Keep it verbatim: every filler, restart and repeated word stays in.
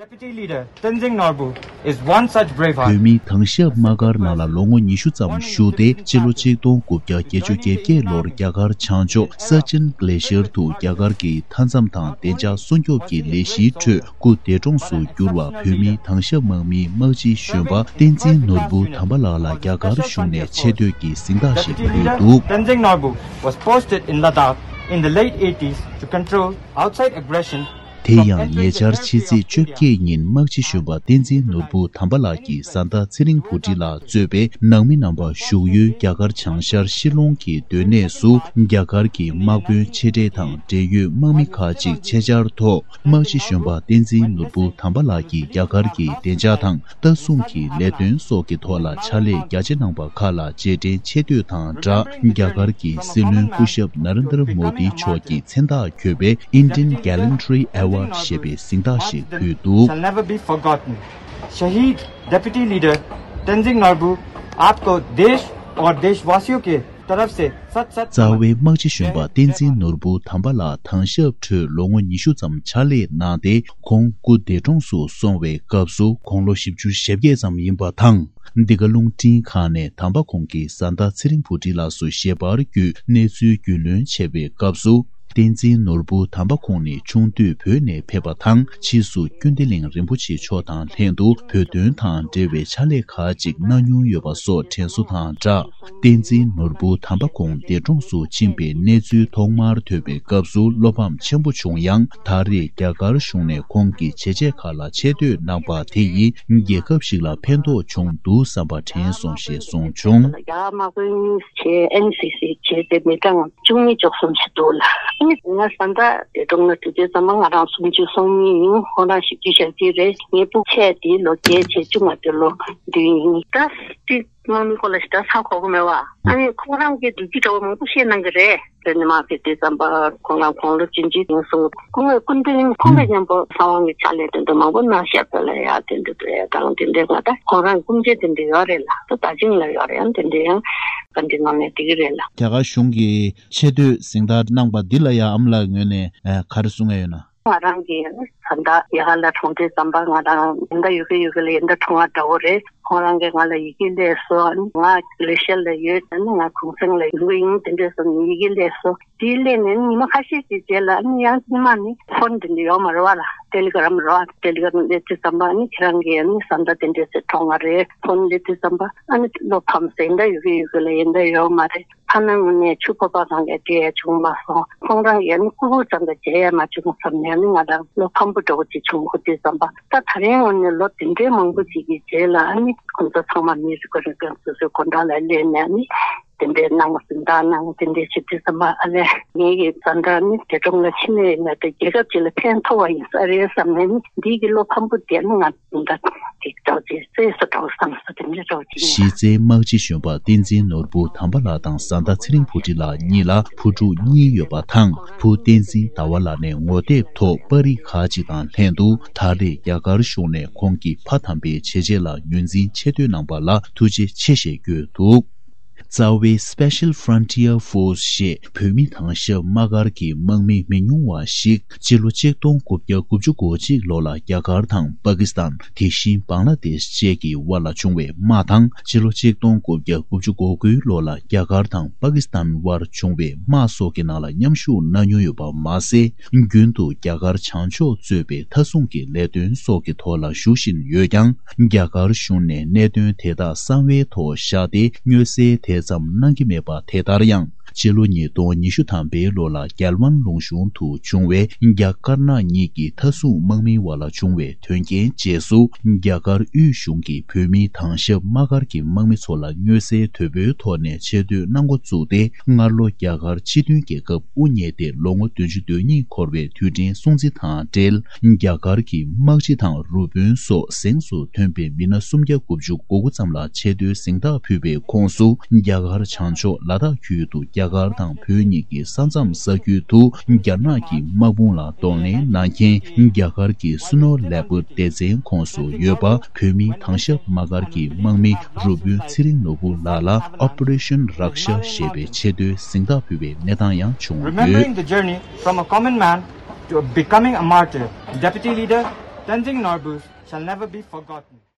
Deputy Leader Tenzing Norbu is one such braveheart. བོད་མིའི་དྭང་ཞབས་དམག་སྒར་ནང་ལ་ལོ་ངོ་ཉི་ཤུ་ཙམ་བཞུགས་ཏེ། སྤྱི་ལོ་ཆིག་སྟོང་དགུ་བརྒྱ་བརྒྱད་ཅུ་གྱ་བརྒྱད་ལོར་རྒྱ་གར་བྱང་ཕྱོགས་སར་ཅན་གླེ་ཤར་དུ་རྒྱ་གར་གྱི་མཐའ་མཚམས་དང་བདེ་འཇགས་སྲུང་སྐྱོབ་ཀྱི་ལས་གཞིའི་ཁྲོད་སྐུ་འདས་གྲོངས་སུ་གྱུར་བ་བོད་མིའི་དྭང་ཞབས་དམག་མིའི་དམག་སྤྱི་གཞོན་པ་བསྟན་འཛིན་ནོར་བུ་དམ་པ་ལགས་ལ་རྒྱ་གར་གཞུང་ནས་ཆེ་བསྟོད་ཀྱི་གཟེངས་རྟགས་ཤིག་Deputy ཕུལ་Leader འདུག Tenzing Norbu was posted in Ladakh in the late eighties to control outside aggression དེ་ཡང་ཉེ་ཆར་ཕྱི་ཚེས་བཅོ་བརྒྱད་ཉིན་དམག་སྤྱི་གཞོན་པ་བསྟན་འཛིན་ནོར་བུ་དམ་པ་ལགས་ཀྱི་བཟའ་ཟླ་ཚེ་རིང་བུ་ཁྲིད་ལགས་གཙོས་པའི་ནང་མི་རྣམ་པ་བཞུགས་ཡུལ་རྒྱ་གར་བྱང་ཤར་ཤི་ལོང་གི་སྡོད་གནས་སུ་རྒྱ་གར་གྱི་དམག་དཔོན་ཆེ་གྲས་དང་འབྲེལ་ཡོད་དམག་མི་ཁག་ཅིག་ཆེད་བཅར་ཐོག་དམག་སྤྱི་གཞོན་པ་བསྟན་འཛིན་ནོར་བུ་དམ་པ་ལགས་ཀྱིས་རྒྱ་གར་གྱི་བདེ་འཇགས་དང་ལྟ་སྲུང་གི་ལས་དོན་སོགས་ཀྱི་ཐོག་ལ་ཕྱག་ལས་རྒྱ་ཆེ་གནང་པ་ཁག་ལ་རྗེས་དྲན་ཆེ་བསྟོད་དང་སྦྲགས། རྒྱ་གར་གྱི་སྲིད་བློན་སྐུ་ཞབས་ན་རེན་དྲ་མོ་དི་མཆོག་གི་མཚན་རྟགས་འཁྱོལ་བའི་Indian Gallantry Award ཞེས་པའི་གཟེངས་རྟགས་ཤིག་ཕུལ་འདུག Shall never be forgotten. शहीद deputy leader Tenzing नोरबू, आपको देश और देशवासियों के तरफ से सत सत རྩ་བའི་དམག་སྤྱི་གཞོན་པ་བསྟན་འཛིན་ནོར་བུ་དམ་པ་ལགས་དྭང་ཞབས་ཁྲོད་ལོ་ངོ་ཉི་ཤུ་ཙམ་ཕྱག་ལས་གནང་སྟེ། ཁོང་སྐུ་འདས་གྲོངས་སུ་སོང་བའི་སྐབས་སུ་ཁོང་ལོ་བཞི་བཅུ་ཞེ་བརྒྱད་ཙམ་ཡིན་པ་དང་། འདི་ག་རླུང་འཕྲིན་ཁང་ནས་དམ་པ་ཁོང་གི་བཟའ་ཟླ་ཚེ་རིང་བུ་ཁྲིད་ལགས་སུ་ཞལ་པར་བརྒྱུད་གནས་ཚུལ་རྒྱུས་ལོན་བྱས་པའི་སྐབས་སུ། བསྟན་འཛིན་ནོར་བུ་དམ་པ་ཁོང་ནི་ཆུང་དུས་བོད་ནས་ཕེབས་པ་དང་། ཕྱིས་སུ་ཀུན་བདེ་གླིང་རིན་པོ་ཆེ་མཆོག་དང་ལྷན་དུ་བོད་དོན་དང་འབྲེལ་བའི་ཕྱག་ལས་ཁག་ཅིག་གནང་མྱོང་ཡོད་པ་སོགས་དྲན་གསོ་དང་སྦྲགས། བསྟན་འཛིན་ནོར་བུ་དམ་པ་ཁོང་འདས་གྲོངས་སུ་ཕྱིན་པའི་གནས་ཚུལ་ཐོག་མར་ཐོས་པའི་སྐབས་སུ་བློ་ཕམ་ཆེན་པོ་བྱུང་ཡང་། ད་རེས་རྒྱ་གར་གཞུང་ནས་ཁོང་གི་བྱས་རྗེས་ཁག་ལ་ཆེ་བསྟོད་གནང་པ་དེ་ཡིས་རྒྱལ་ཁབ་ཞིག་ལ་ཕན་ཐོགས་བྱུང་འདུག་བསམ་པ་དྲན་སོང་ཞེས་གསུངས་བྱུང་། རྒྱ་དམག་དཔོན་གཉིས་བྱས། ཨེན་སི་སི་བྱས་ཏེ་མི་གྲངས་བཅུ་གཉིས་བཅུ་གསུམ་ཞིག་འདུག་ལ། ཨ་ནི་ང་བཟའ་ཟླ་འདས་གྲོངས་ན་དུས་ཚོད་ཙམ་པ་ང་རང་སུམ་ཅུ་སོ་གཉིས་ཡིན། ཁོང་རང་བཞི་བཅུ་ཞེ་གཅིག་རེད། ངའི་སྤུ་ཆས་དེ་ལོ་བརྒྱད་བྱས་བཅུ་ང་དེ་ལོ་བདུན་ཡིན། ད་དེ་དམག་མི་སྐོར་ལ་ཞེ་དྲག་ཧ་གོ་གི་མེད་བ། ཨ་ནི་ཁོང་རང་གིས་བདུད་ཀྱི་གྲྭ་བ་མང་པོ་བཤད་གནང་གི་རེད། དེ་ནི་མ་ཕེབས་དུས་ཙམ་པ་ཁོང་རང་དགུང་ལོ་བཅུ་གཅིག་ཡིན་གསུངས། ཁོང་གི་སྐུ་མདུན་ཁོང་དང་མཉམ་པོ་གསང་བ་གི་ཕྱག་ལས་དེ་འདྲ་མང་པོ་གནང་བཞག་པ་ལ་ཡ། དེ་འདྲ་དེ་དང་དེ་འདྲའི་ང་ད་ཁོང་རང་སྐུ་མཆེད་དེ་འདྲ་ཡོད་རེད་ལ། ད་ད་ཅིང་ལ་ཡོད་རེད། ཡང་དེ་འདྲ་ཡང་ག་འདྲ་ངང་ནས་དེ་གི་རེད་ལ། རྒྱ་གར་གཞུང་གིས་ཆེ་བསྟོད་གཟེངས་རྟགས་གནང་པ་འདི་ལ་ཡ་ཨ་མ་ལགས་ངོས་ནས་ཨ་ག་རེ་གསུང་ཡ་ཡོད་ན། ང་རང་གིས་ད་ལྟ་རྒྱ་གར་ལ་གྲོངས་དུས་ཙམ་པ་ང་རང་ཡིན་ད་ཡོད་གི་ཡོད་གི་ལ་ཡིན་ད་གྲོངས་པ་འདྲ་བོ་རེད། ཁོང་རང་གིས་ང་ལ་ཡི་གེ་སླེབས་སོང་། ང་ལེ་ཤ་ལ་ཡོད། ང་གུང་སེང་ལ་ཡོང་གི་ཡིན། དེ་འདྲས་སོང་ཡི་གེ་སླེབས་སོང་། དེ་སླེབས་ནས་ཉི་མ་ཁ་ཤས་ཤིག་རྗེས་ལ་ཨ་ནི་ཡང་ཉི་མ་ནི་ཕོན་དེ་འདྲ་ཡོད་མ་རེད་བ་ལ། ཏེ་ལི་གྷ་རམ་རེད་བ། ཏེ་ལི་གྷ་རམ་སླེབས་དུས་ཙམ་པ་ཨ་ནི་ཁྱེད་རང་གིས་ཨ་ནི་བཟའ་ཟླ་དེ་འདྲས་སེ་གྲོངས་པ་རེད། ཕོན་སླེབས་དུས་ཙམ་པ་ཨ་ནི་བློ་ཕམ་སེ་ཡིན་ད་ཡོད་གི་ཡོད་གི་ལ་ཡིན་ད་ཡོད་མ་རེད། ཕ་ནང་ངོས་ནས་ཕྱུག་པོ་པ་གང་ག་བསྡད་ཡ་བྱུང་མ་སོང་། ཁོང་རང་ཡང་ནི་སྐུ་སྒུག་ཙམ་དུ་བྱས་ཡ་མ་བྱུང་བསམ་ནས་ནི་ང་རང་བློ་ཕམ་པོ་འདྲ་བོ་ཅིག་བྱུང་གི་དུས་ཙམ་པ། ད་ད་རེས་ངོས་ནས་ལོ་དེ་འདྲའི་མང་པོ་ཅིག་གི་རྗེས་ལ་ཨ་ནི་ཁོང་ཚོ་ཚང་མ་མི་རེ་ཁོ་རེ་གང་སོ་སོའི་སྐུ་འདྲ་ལ་སླེབས་ནས་ཨ་ནི་དེ་འདྲའི་གནང་བ་ཟིན་ད་གནང་དེ་འདྲའི་བྱེད་དུས་ཙམ་པ་ཨ་ལས་ངེད་ཀྱི་བཟའ་ཟླ་ནི་འདས་གྲོངས་ལ་ཕྱིན་ནས་ཡིན་ན་དེ་རྒྱལ་ཁབ་ཅིག་ལ་ཕན་ཐོགས་པ་ཡིན་ས་རེད་བསམ་ནས་ནི་འདི་གི་བློ་ཕམ་པོ་དེ་ནི་ང་ད་དེ་ཅོག་ཅེ་རྩེས་སུ་འགྲོ་བསམ་སོ་དེ་འདྲ་ཅོག་ཅེ་ནས། གཞི་རྩའི་དམག་སྤྱི་གཞོན་པ་བསྟན་འཛིན་ནོར་བུ་དམ་པ་ལགས་དང་བཟའ་ཟླ་ཚེ་རིང་བུ་ཁྲིད་ལགས་གཉིས་ལ་བུ་ཕྲུག་གཉིས་ཡོད་པ་དང་། བུ་བསྟན་འཛིན་ཟླ་བ་ལགས་ནས་ངོ་དེབ་ཐོག་པར་རིས་ཁག་ཅིག་དང་ལྷན་དུ་ད་རེས་རྒྱ་གར་གཞུང་ནས་ཁོང་གི་ཕ་དམ་པའི་བྱས་རྗེས་ལ་ངོས་འཛིན་ཆེ་བསྟོད་གནང་པ་ལ་ཐུགས་རྗེ་ཆེ་ཞེས་བཀོད་འདུག་རྩ་བའི་Special Frontier Force ཞེས་བོད་མི་དྭང་ཞབས་དམག་སྒར་གྱི་དམག་མི་མི་ཉུང་བ་ཞིག་སྤྱི་ལོ་ཆིག་སྟོང་དགུ་བརྒྱ་དགུ་བཅུ་གོ་གཅིག་ལོ་ལ་རྒྱ་གར་དང་པ་ཀི་སི་ཐན། དེ་བཞིན་བང་ལ་དེཤ་བཅས་ཀྱི་དབར་ལ་བྱུང་བའི་དམག་དང་། སྤྱི་ལོ་ཆིག་སྟོང་དགུ་བརྒྱ་དགུ་བཅུ་གོ་དགུའི་ལོ་ལ་རྒྱ་གར་དང་པ་ཀི་སི་ཐན་དབར་བྱུང་བའི་དམག་སོགས་ཀྱི་ནང་ལ་མཉམ་ཞུགས་གནང་མྱོང་ཡོད་པ་མ་ཟད། རྒྱུན་དུ་རྒྱ་གར་བྱང་ཕྱོགས་གཙོས་པའི་མཐའ་སྲུང་གི་ལས་དོན་སོགས་ཀྱི་ཐོག་ལ་ཞུགས་བཞིན་ཡོད་ཀྱང་། རྒྱ་གར་གཞུང་ནས་གནད་དོན་དེ་དག་གསང་བའི་ཐོག་བཞག་སྟེ་མངོན་གསལ་དེ་ཙམ་གནང་གི་མེད་པ། དེ་ལྟར་ཡང་། སྤྱི་ལོ་ཉིས་སྟོང་ཉི་ཤུ་ཐམ་པའི་ལོ་ལ་རྒྱལ་ཝན་ལུང་གཤོང་དུ་བྱུང་བའི་རྒྱ་དཀར་ནག་གཉིས་ཀྱི་མཐའ་སྲུང་དམག་མིའི་དབར་ལ་བྱུང་བའི་དོན་རྐྱེན་རྗེས་སུ། རྒྱ་གར་དབུས་གཞུང་གིས་བོད་མིའི་དྭང་ཞབས་དམག་སྒར་གྱི་དམག་མི་ཚོ་ལ་མངོན་གསལ་དོད་པོའི་ཐོག་ནས་ཆེ་བསྟོད་གནང་འགོ་བཙུགས་ཏེ། སྔར་ལོ་རྒྱ་གར་སྤྱི་མཐུན་རྒྱལ་ཁབ་དབུ་བརྙེས་ཏེ་ལོ་ངོ་བདུན་ཅུ་དོན་གཉིས་འཁོར་བའི་དུས་དྲན་སྲུང་བརྩི་དང་འབྲེལ། རྒྱ་གར་གྱི་དམག་སྤྱི་དང་རུ་དཔོན་སོགས་གཟེངས་སུ་ཐོན་པའི་མི་སྣ་སུམ་བརྒྱ་དགུ་བཅུ་གོ་དགུ་ཙམ་ལ་ཆེ་བསྟོད་གཟེངས་རྟགས་ཕུལ་བའི་ཁོངས་སུ། རྒྱ་གར་བྱང་ཕྱོགས་ལ་དྭགས་ཁུལ་དུ་རྒྱ་གར་དང་བོད་གཉིས་ཀྱི་ས་མཚམས་ས་ཁུལ་དུ་རྒྱ་ནག་གི་དམག་དཔུང་ལ་གདོང་ལེན་གནང་མཁན། རྒྱ་གར་གྱི་སུ་ནོ་ལེ་པར་སྡེ་ཚན་ཁོངས་སུ་ཡོད་པ། བོད་མིའི་དྭང་ཞབས་དམག་སྒར་གྱི་དམག་མི་རུ་དཔོན་ཚེ་རིང་ནོར་བུ་ལགས་ལ་Operation Raksha ཞེས་པའི་ཆེ་བསྟོད་གཟེངས་རྟགས་ཕུལ་བའི་གནས་སྟངས་ཡང་བྱུང་ཡོད། Remembering the journey from a common man to becoming a martyr, Deputy Leader Tenzing Norbu's shall never be forgotten.